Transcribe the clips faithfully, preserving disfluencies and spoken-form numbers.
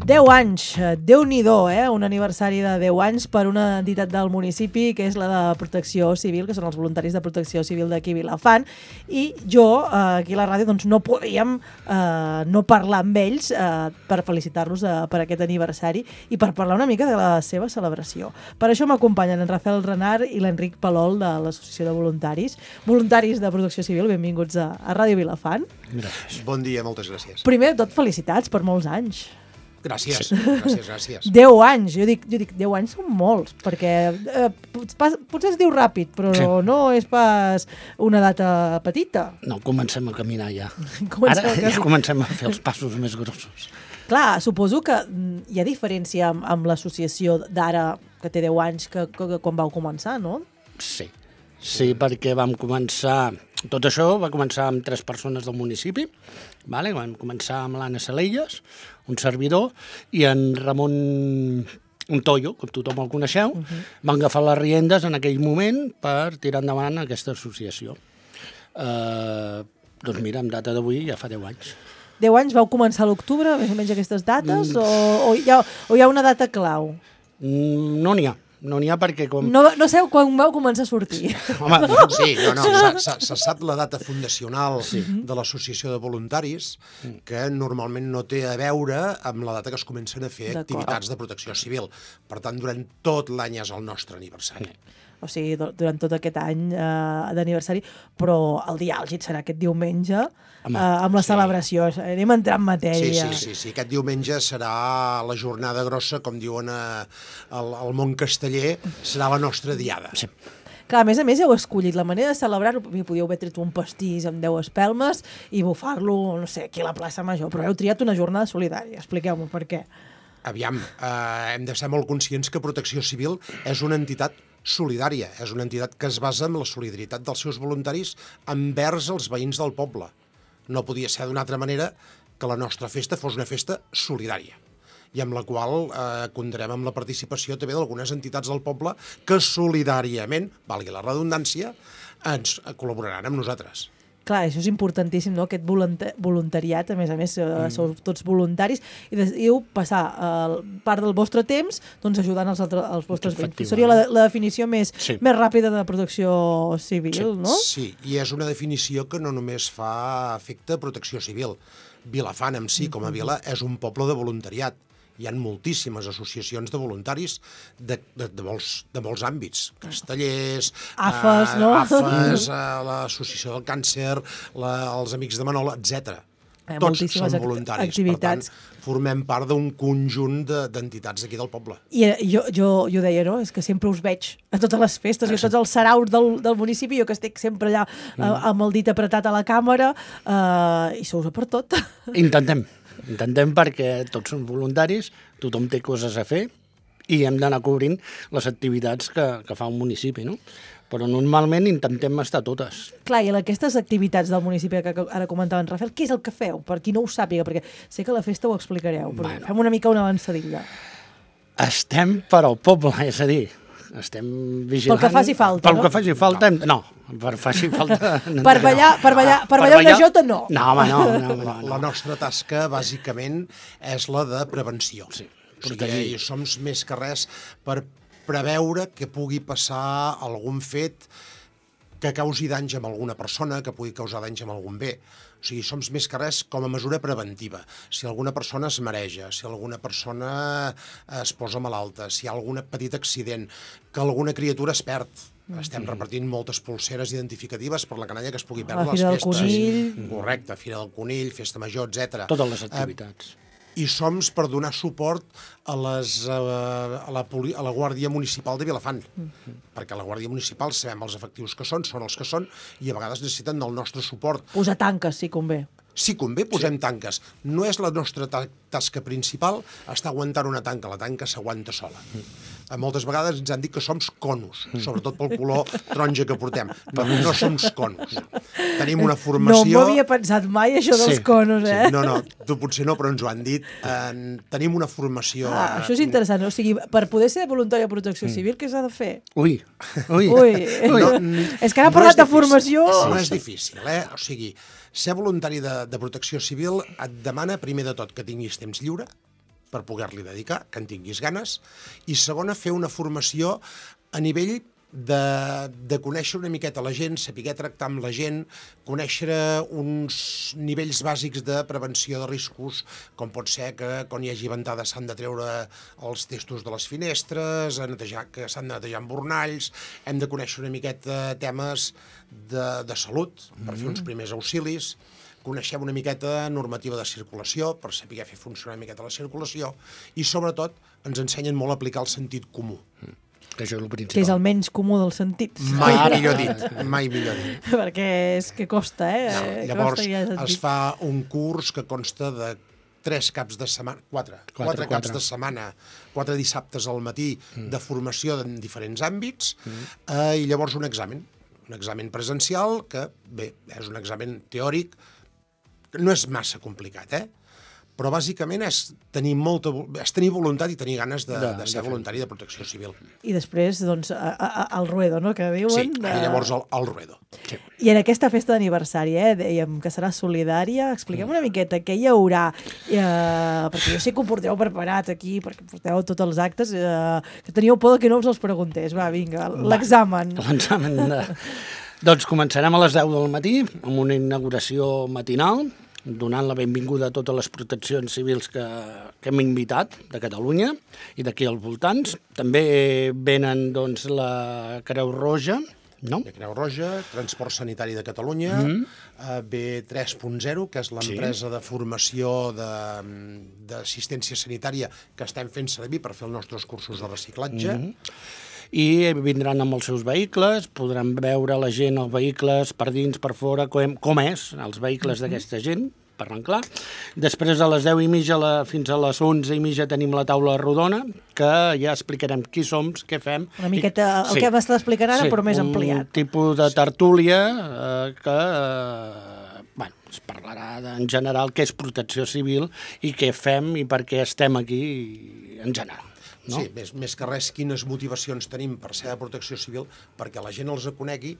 deu anys, Déu-n'hi-do, eh? Un aniversari de deu anys per una entitat del municipi que és la de Protecció Civil, que són els voluntaris de Protecció Civil d'aquí Vilafant, i jo, eh, aquí a la ràdio, doncs no podíem eh, no parlar amb ells eh, per felicitar-los eh, per aquest aniversari i per parlar una mica de la seva celebració. Per això m'acompanyen en Rafael Renart i l'Enric Palol de l'Associació de Voluntaris. Voluntaris de Protecció Civil, benvinguts a, a Ràdio Vilafant. Gràcies. Bon dia, moltes gràcies. Primer de tot, felicitats per molts anys. Gràcies, gràcies, gràcies. deu anys, jo dic, jo dic deu anys són molts, perquè eh, potser es diu ràpid, però sí. no és pas una data petita. No, comencem a caminar ja. Comencem Ara a ja comencem a fer els passos més grossos. Clar, suposo que hi ha diferència amb, amb l'associació d'ara, que té deu anys, que, que, que quan vau començar, no? Sí, sí, perquè vam començar... Tot això va començar amb tres persones del municipi, vale? Vam començar amb l'Anna Salelles, un servidor, i en Ramon Untoyo, com tothom el coneixeu, uh -huh. van agafar les riendes en aquell moment per tirar endavant aquesta associació. Uh, doncs mira, en data d'avui ja fa deu anys. deu anys, vau començar a l'octubre, més o menys aquestes dates, mm. o, o, hi ha, o hi ha una data clau? Mm, no n'hi ha. No n'hi ha perquè... Com... No, no sé quan vau començar a sortir. Home, sí, no, no, se, se sap la data fundacional sí. de l'Associació de Voluntaris, que normalment no té a veure amb la data que es comencen a fer activitats de protecció civil. Per tant, durant tot l'any és el nostre aniversari. O sigui, durant tot aquest any eh, d'aniversari, però el dia àlgid serà aquest diumenge, Home, eh, amb la sí. celebració. Anem a entrar en matèria. Sí, sí, sí, sí. Aquest diumenge serà la jornada grossa, com diuen a, al, al món casteller, serà la nostra diada. Sí. Clar, a més a més heu escollit la manera de celebrar-ho, podíeu haver tret un pastís amb deu espelmes i bufar-lo, no sé, aquí a la plaça Major, però heu triat una jornada solidària. Expliqueu-me per què. Aviam, eh, hem de ser molt conscients que Protecció Civil és una entitat solidària, és una entitat que es basa en la solidaritat dels seus voluntaris envers els veïns del poble. No podia ser d'una altra manera que la nostra festa fos una festa solidària, i amb la qual eh, comptarem amb la participació també d'algunes entitats del poble que solidàriament, valgui la redundància, ens col·laboraran amb nosaltres. Clar, això és importantíssim, no? Aquest voluntariat, a més a més, mm. sou tots voluntaris, i decidiu passar eh, part del vostre temps doncs, ajudant els, altres, els vostres veïns. Seria la, la definició més, sí. més ràpida de protecció civil, sí. no? Sí, i és una definició que no només fa efecte a protecció civil. Vilafant en si, com a vila, és un poble de voluntariat. Hi ha moltíssimes associacions de voluntaris de, de, de, molts, de molts àmbits. Castellers, A F E S, eh, no? A F E S, eh, l'Associació del Càncer, la, els Amics de Manol, etcètera. Eh, Tots són voluntaris. Activitats. Per tant, formem part d'un conjunt d'entitats d'aquí del poble. I jo, jo, jo deia, no?, és que sempre us veig a totes les festes, i a tots els saraus del, del municipi, jo que estic sempre allà eh, amb el dit apretat a la càmera, eh, i sou per tot. Intentem. Intentem perquè tots som voluntaris, tothom té coses a fer i hem d'anar cobrint les activitats que, que fa un municipi, no? Però normalment intentem estar totes. Clar, i en aquestes activitats del municipi que ara comentava en Rafael, què és el que feu? Per qui no ho sàpiga, perquè sé que a la festa ho explicareu, però bueno. Fem una mica una avançadilla. Estem per al poble, és a dir, estem vigilant... Pel que faci falta, Pel no? que faci falta, no. Per faci falta... per ballar, per ballar, per ballar una jota, no. No, home, no. no, no, no. La nostra tasca, bàsicament, és la de prevenció. Sí. O sigui, i som més que res per preveure que pugui passar algun fet que causi danys amb alguna persona, que pugui causar danys amb algun bé. O sigui, som més que res com a mesura preventiva. Si alguna persona es mareja, si alguna persona es posa malalta, si hi ha algun petit accident, que alguna criatura es perd. Estem mm. repartint moltes pulseres identificatives per la canalla que es pugui perdre a les festes. Fira del Conill. Correcte, Fira del Conill, Festa Major, etcètera. Totes les activitats. Eh, I som per donar suport a, les, a, la, a la Guàrdia Municipal de Vilafant, mm. perquè la Guàrdia Municipal sabem els efectius que són, són els que són, i a vegades necessiten del nostre suport. Posar tanques, si convé. Si convé, posem sí. tanques. No és la nostra ta tasca principal estar aguantant una tanca, la tanca s'aguanta sola. Mm. Moltes vegades ens han dit que som conos, sobretot pel color taronja que portem. No, no som conos. Tenim una formació... No m'havia pensat mai, això dels sí, conos, eh? Sí. No, no, tu potser no, però ens ho han dit. Eh, tenim una formació... Ah, això és interessant. O sigui, per poder ser voluntari de protecció civil, què s'ha de fer? Ui, ui. Ui. No, és que ara no parlat de formació... No és difícil, eh? O sigui, ser voluntari de, de protecció civil et demana, primer de tot, que tinguis temps lliure, per poder-li dedicar, que en tinguis ganes, i segona, fer una formació a nivell de, de conèixer una miqueta la gent, saber tractar amb la gent, conèixer uns nivells bàsics de prevenció de riscos, com pot ser que quan hi hagi ventada s'han de treure els testos de les finestres, a netejar, que s'han de netejar embornalls, hem de conèixer una miqueta temes de, de salut, per mm. fer uns primers auxilis, coneixem una miqueta normativa de circulació, per saber fer funcionar una miqueta la circulació, i sobretot ens ensenyen molt a aplicar el sentit comú. Mm. Que això és el principal. Que és el menys comú dels sentits. Mai millor dit, mai millor dit. Perquè és que costa, eh? No, llavors es fa un curs que consta de tres caps de setmana, quatre, quatre, quatre caps quatre. de setmana, quatre dissabtes al matí mm. de formació en diferents àmbits, mm. eh, i llavors un examen, un examen presencial que, bé, és un examen teòric, no és massa complicat, eh? Però bàsicament és tenir, molta, és tenir voluntat i tenir ganes de, de, de ser de voluntari de protecció civil. I després, doncs, a, a, al ruedo, no?, que diuen. Sí, de... i llavors al, al ruedo. Sí. I en aquesta festa d'aniversari, eh, dèiem que serà solidària, expliquem una miqueta què hi haurà, eh, perquè jo sé que ho porteu preparat aquí, perquè porteu tots els actes, eh, que teníeu por que no us els preguntés. Va, vinga, l'examen. L'examen de... Doncs començarem a les deu del matí, amb una inauguració matinal, donant la benvinguda a totes les proteccions civils que, que hem invitat de Catalunya i d'aquí als voltants. També venen doncs, la Creu Roja, no? La Creu Roja, Transport Sanitari de Catalunya, mm-hmm. eh, B tres punt zero, que és l'empresa sí. de formació d'assistència sanitària que estem fent servir per fer els nostres cursos de reciclatge. Mm-hmm. I vindran amb els seus vehicles, podran veure la gent els vehicles per dins, per fora, com, com és els vehicles d'aquesta gent, parlant clar. Després a les deu i mitja la, fins a les onze i mitja tenim la taula rodona, que ja explicarem qui som, què fem. Una miqueta el sí. que m'estàs explicant ara, sí, però més ampliat. Un tipus de tertúlia eh, que... Eh, bueno, es parlarà de, en general què és protecció civil i què fem i per què estem aquí en general. No? Sí, més, més que res, quines motivacions tenim per ser de protecció civil, perquè la gent els conegui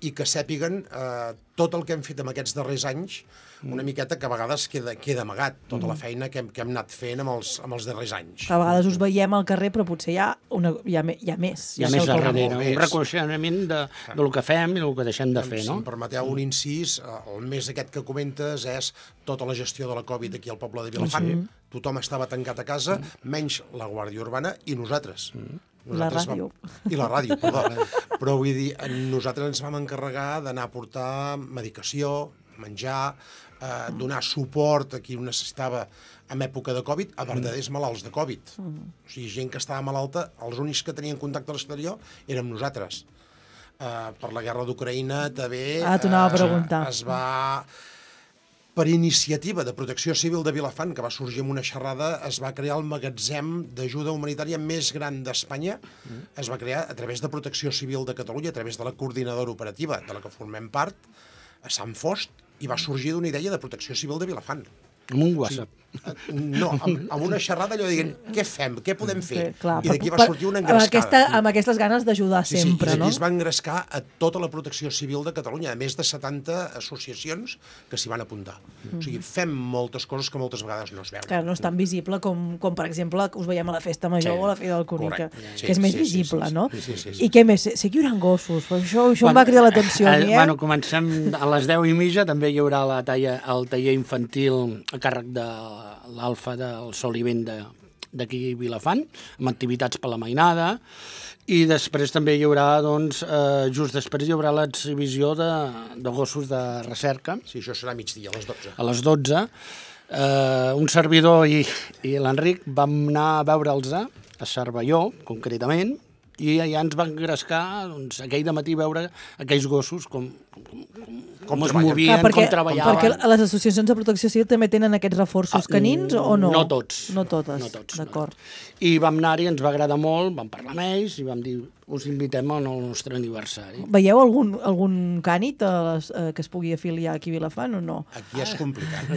i que sàpiguen eh, tot el que hem fet en aquests darrers anys, una miqueta que a vegades queda, queda amagat, tota la feina que hem, que hem anat fent amb els, amb els darrers anys. A vegades us veiem al carrer, però potser hi ha, una, hi ha, hi ha més. Hi ha més darrere, un reconeixement de, del que fem i del que deixem de fer, si no? Si em permeteu un incís, el mes aquest que comentes és tota la gestió de la Covid aquí al poble de Vilafant. Sí. Tothom estava tancat a casa, menys la Guàrdia Urbana i nosaltres. Nosaltres la ràdio. Vam... I la ràdio, perdó. Però vull dir, nosaltres ens vam encarregar d'anar a portar medicació, menjar, eh, donar suport a qui ho necessitava en època de Covid, a verdaders malalts de Covid. Mm. O sigui, gent que estava malalta, els únics que tenien contacte a l'exterior érem nosaltres. Eh, per la guerra d'Ucraïna també ah, t'ho anava a preguntar. Eh, es va... Per iniciativa de Protecció Civil de Vilafant, que va sorgir amb una xerrada, es va crear el magatzem d'ajuda humanitària més gran d'Espanya. Mm. Es va crear a través de Protecció Civil de Catalunya, a través de la coordinadora operativa de la que formem part, a Sant Fost, i va sorgir d'una idea de Protecció Civil de Vilafant. Amb un WhatsApp. Sí, no, amb, amb una xerrada allò dient, què fem, què podem fer? Sí, clar, I d'aquí va sortir una engrescada. Amb, aquesta, amb aquestes ganes d'ajudar sí, sempre, sí, no? I es va engrescar a tota la Protecció Civil de Catalunya, a més de setanta associacions que s'hi van apuntar. Mm. O sigui, fem moltes coses que moltes vegades no es veuen. Que no és tan visible com, com per exemple, que us veiem a la Festa Major sí, o a la Fira del Conill, que, sí, que és més sí, visible, sí, sí, no? Sí, sí, sí, sí. I què més? Sé que hi haurà gossos, però això, això bueno, em va cridar l'atenció. Eh, eh? Bueno, comencem a les deu i mitja, també hi haurà la talla, el taller infantil a càrrec de l'Alfa del Sol i Vent d'aquí Vilafant, amb activitats per la mainada, i després també hi haurà, doncs, eh, just després hi haurà l'exhibició de, de gossos de recerca. Sí, això serà migdia, a les dotze. A les dotze. Eh, un servidor i, i l'Enric vam anar a veure'ls a Cervelló, concretament, i ja ens van engrescar, doncs, aquell dematí veure aquells gossos com, com, com, com es movien, ah, perquè, com treballaven. Perquè les associacions de protecció civil també tenen aquests reforços ah, canins o no? No tots. No totes, no tots d'acord. No. I vam anar-hi, ens va agradar molt, vam parlar amb ells i vam dir, us invitem al nostre aniversari. Veieu algun, algun cànit a les, eh, que es pugui afiliar aquí a Vilafant o no? Aquí és complicat.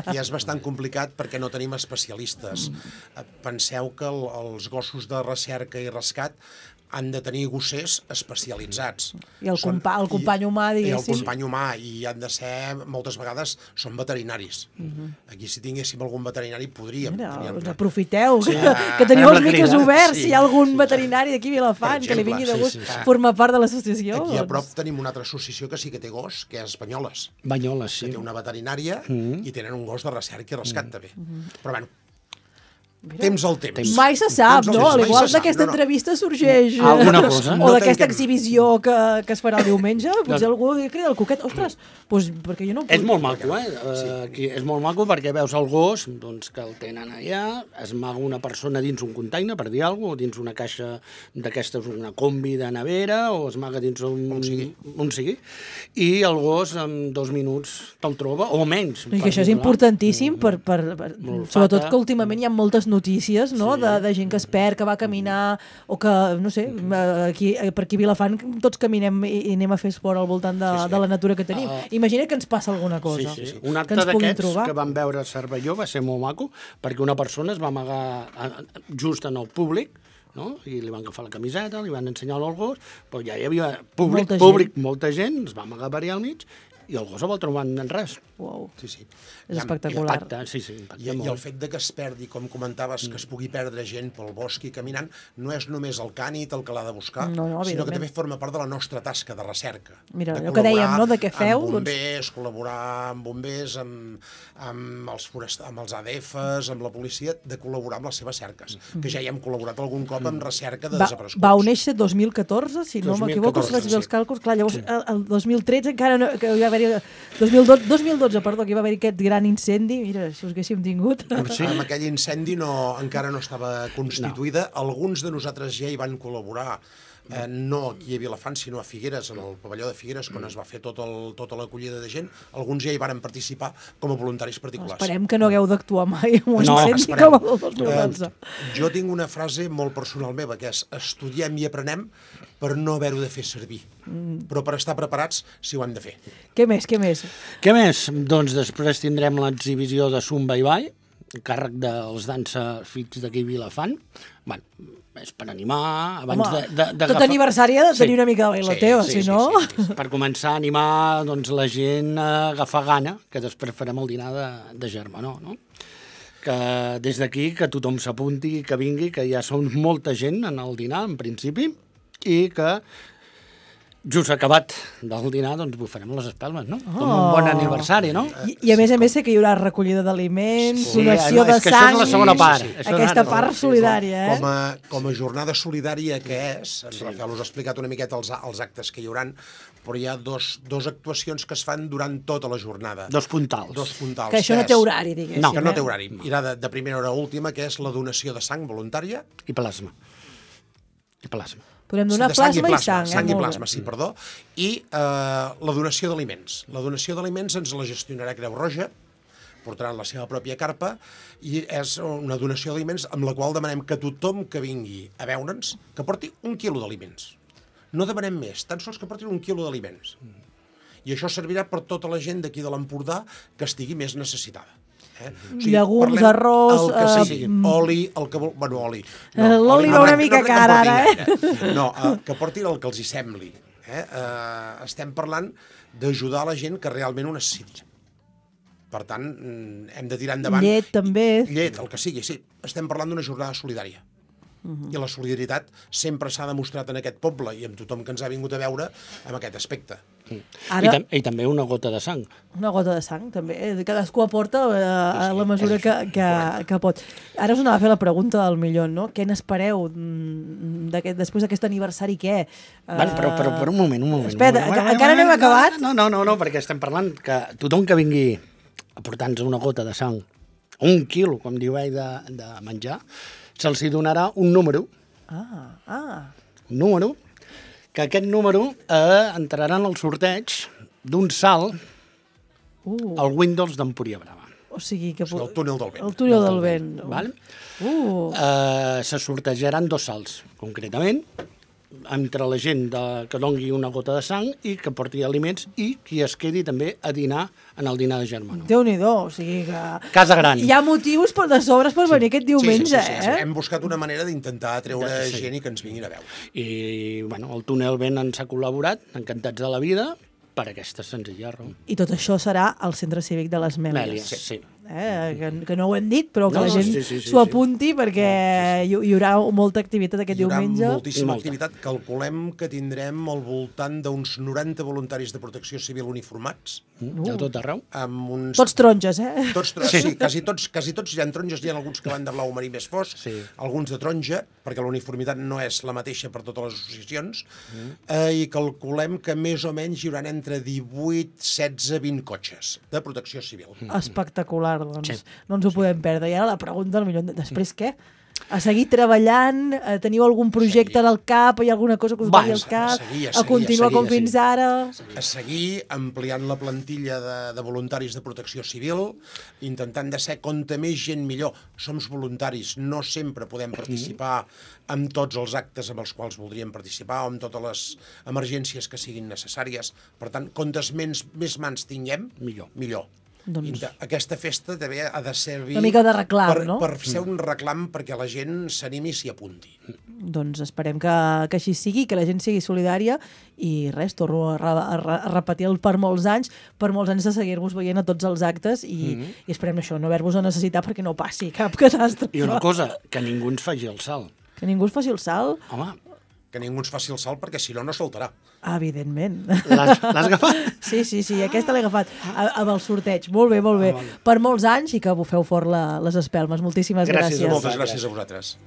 Aquí és bastant complicat perquè no tenim especialistes. Mm. Penseu que el, els gossos de recerca i rescat han de tenir gossers especialitzats. I el, Són- compa el company humà, I el diguéssim. company humà, i han de ser, moltes vegades, són veterinaris. Aquí, si tinguéssim algun veterinari, podríem. Mira, teníem- us aprofiteu, Sí, que, ah, que teniu farem els la micros crida. oberts, Sí, si hi ha algun sí, veterinari d'aquí a Vilafant Per que li exemple, vingui de sí, gust sí, sí. formar part de l'associació. Aquí a doncs. prop tenim una altra associació que sí que té gos, que és Banyoles, Banyoles, que sí. té una veterinària i tenen un gos de recerca i rescat també. Però bueno, Mira. temps al temps. Mai se sap, Temps al no? temps, Al mai igual se sap. d'aquesta No, no. entrevista sorgeix... Alguna eh, cosa. O No d'aquesta tanquem- exhibició que, que es farà el diumenge, potser algú li crida el coquet. Ostres, doncs perquè jo no puc. És molt maco, eh? Sí. Aquí és molt maco perquè veus el gos doncs, que el tenen allà, es maga una persona dins un container, per dir alguna cosa, o dins una caixa d'aquestes, una combi de nevera, o es maga dins un... On sigui. On sigui. I el gos en dos minuts te'l troba, o menys. I que això és importantíssim, per, per, per, Molt sobretot fata. que últimament hi ha moltes notícies, no? de, de gent que es perd, que va caminar, o que, no sé, aquí, per aquí a Vilafant tots caminem i, i anem a fer esport al voltant de, Sí, sí. de la natura que tenim. Ah. Imagina que ens passa alguna Sí, cosa. sí, sí. Que Un acte ens puguin d'aquests trobar. que vam veure a Cervelló va ser molt maco, perquè una persona es va amagar a- a- just en el públic, no? I li van agafar la camiseta, li van ensenyar el gos, però ja hi havia públic, Molta gent. públic, molta gent, es va amagar per allà al mig, i el gos el va trobar en res. Uau, Sí, sí. és Ja, espectacular. Impacta, sí, sí, impacta I, I molt. el fet de que es perdi, com comentaves, que es pugui perdre gent pel bosc i caminant, no és només el cànit el que l'ha de buscar, No, no, sinó que evidentment. també forma part de la nostra tasca de recerca. Mira, de allò que dèiem, col·laborar no?, de què feu, Amb doncs- bombers, col·laborar amb bombers, amb, amb, els forest... amb els A D Fs, amb la policia, de col·laborar amb les seves cerques, que ja hi hem col·laborat algun cop amb recerca de Va, desapareguts. vau néixer dos mil catorze, si no dos mil m'equivoco, si catorze, faig bé els sí. càlculs. Clar, llavors, el, el dos mil tretze encara no... Que hi va haver dos mil dotze, dos mil dotze, perdó, que hi va haver aquest gran incendi. Mira, si us haguéssim tingut. Sí. Amb aquell incendi no, encara no estava constituïda. No. Alguns de nosaltres ja hi van col·laborar, eh, no aquí a Vilafant, sinó a Figueres, en el pavelló de Figueres, quan es va fer tot el, tota l'acollida de gent. Alguns ja hi van participar com a voluntaris particulars. Esperem que no hagueu d'actuar mai amb un No, incendi esperem. com el del dos mil dotze. Eh, jo tinc una frase molt personal meva, que és estudiem i aprenem per no haver-ho de fer servir, mm. però per estar preparats si ho hem de fer. Què més, què més? Què més? Doncs després tindrem l'exhibició de Zumba i Ball, a càrrec dels dansa fix d'aquí a Vilafant. Bueno, és per animar, abans Home, de, de, de tot aniversari ha de tenir Sí. una mica de bailoteo, Sí, sí, si no... sí, sí, sí. per començar a animar doncs, la gent a agafar gana, que després farem el dinar de, de germanor, no? Que des d'aquí que tothom s'apunti, que vingui, que ja són molta gent en el dinar, en principi, i que just acabat del dinar, doncs bufarem les espelmes, no? Com un bon aniversari, no? I, I a més a més sé que hi haurà recollida d'aliments, Sí, donació no, de és que això sang... és la segona part. Sí, sí. Això Aquesta és- part solidària, eh? Com a, com a jornada solidària que és, en Rafael us ha explicat una miqueta els, els actes que hi hauran, però hi ha dos, dos actuacions que es fan durant tota la jornada. Dos puntals. Dos puntals. Que això no és- té horari, diguéssim. No, Que no té eh? horari. Irà de, de primera hora a última, que és la donació de sang voluntària. I plasma. I plasma. Podem donar de sang plasma i sang, sang eh? i Molt plasma, bé. sí, perdó. I eh, la donació d'aliments. La donació d'aliments ens la gestionarà Creu Roja, portaran la seva pròpia carpa, i és una donació d'aliments amb la qual demanem que tothom que vingui a veure'ns que porti un quilo d'aliments. No demanem més, tan sols que portin un quilo d'aliments. I això servirà per tota la gent d'aquí de l'Empordà que estigui més necessitada. Eh? O Llegums, parlem arròs, el que eh, sigui, oli, el que vol... Bueno, oli. Eh, l'oli va una mica car, portin ara, eh? gaire. No, eh, que portin el que els hi sembli. Eh? Eh, estem parlant d'ajudar la gent que realment ho necessiti. Per tant, mm, hem de tirar endavant... Llet, també. Llet, el que sigui, sí. Estem parlant d'una jornada solidària. Uh-huh. I la solidaritat sempre s'ha demostrat en aquest poble i amb tothom que ens ha vingut a veure amb aquest aspecte. Ara... I, tam I també una gota de sang. Una gota de sang, també. eh? Cadascú aporta eh, a la mesura que, que, que pot. Ara us anava a fer la pregunta del milió, no? Què n'espereu mm, d'aquest- després d'aquest aniversari, què? Bueno, però, però, però un moment, un moment. Espera, un moment. encara no hem acabat? No, no, no, no, perquè estem parlant que tothom que vingui a portar-nos una gota de sang, un quilo, com diu ell, de, de menjar, se'ls hi donarà un número, Ah, ah. un número, que aquest número eh, entrarà en el sorteig d'un salt Uh, al Windows d'Empúria Brava. o sigui que... O sigui, el túnel del vent. El túnel del vent. Val? Uh, Eh, se sortejaran dos salts, concretament. entre la gent de, que dongui una gota de sang i que porti aliments i qui es quedi també a dinar en el dinar de germano. Déu-n'hi-do, o sigui que... Casa gran. Hi ha motius per de sobres per venir aquest diumenge, sí, sí, sí, sí. eh? Hem buscat una manera d'intentar treure Sí. gent i que ens vinguin a veure. I, bueno, el túnel Ben ens ha col·laborat, encantats de la vida, per aquesta senzilla raó. I tot això serà al Centre Cívic de les Mèlies. Mèlies, sí. sí. Eh? Que, que no ho hem dit, però que No, la gent sí, sí, sí, s'ho sí. apunti perquè hi, hi haurà molta activitat aquest Hi haurà diumenge. moltíssima Molta. activitat. Calculem que tindrem al voltant d'uns noranta voluntaris de protecció civil uniformats, Mm, de tot arreu. amb uns... Tots taronges, eh? Tots, tro- sí, quasi tots, quasi tots hi ha taronges, hi ha alguns que van de blau marí més fosc, Sí. alguns de taronja, perquè la uniformitat no és la mateixa per totes les associacions, mm. eh, i calculem que més o menys hi haurà entre divuit, setze, vint cotxes de protecció civil. Mm. Espectacular, doncs. Sí. No ens ho podem perdre. I ara la pregunta, al millor, després què? A seguir treballant? A teniu algun projecte seguir. al cap? Hi ha alguna cosa que us Va, vagi al a cap? seguir, a A seguir, continuar a seguir, com a fins seguir. ara? A seguir ampliant la plantilla de, de voluntaris de protecció civil, intentant de ser compte més gent millor. Som voluntaris, no sempre podem participar en tots els actes amb els quals voldríem participar o en totes les emergències que siguin necessàries. Per tant, comptes més, més mans tinguem, Millor. millor. Doncs- Inte- Aquesta festa també ha de servir Una mica de reclam, per, no? per ser un reclam perquè la gent s'animi i s'hi apunti. Doncs esperem que, que així sigui, que la gent sigui solidària i res, torno a, re, a, re, a repetir el per molts anys, per molts anys de seguir-vos veient a tots els actes i, mm -hmm. i esperem això, no haver-vos a necessitar perquè no passi cap catàstrofe. I una cosa, que ningú ens faci el salt. Que ningú us faci el salt, Home, Que ningú ens faci el salt perquè si no, no saltarà. evidentment. l'has l'has agafat? Sí, sí, sí, aquesta l'he agafat a, amb el sorteig. Molt bé, molt bé. Per molts anys i que bufeu fort la, les espelmes. Moltíssimes Gràcies a gràcies. Moltes gràcies a vosaltres.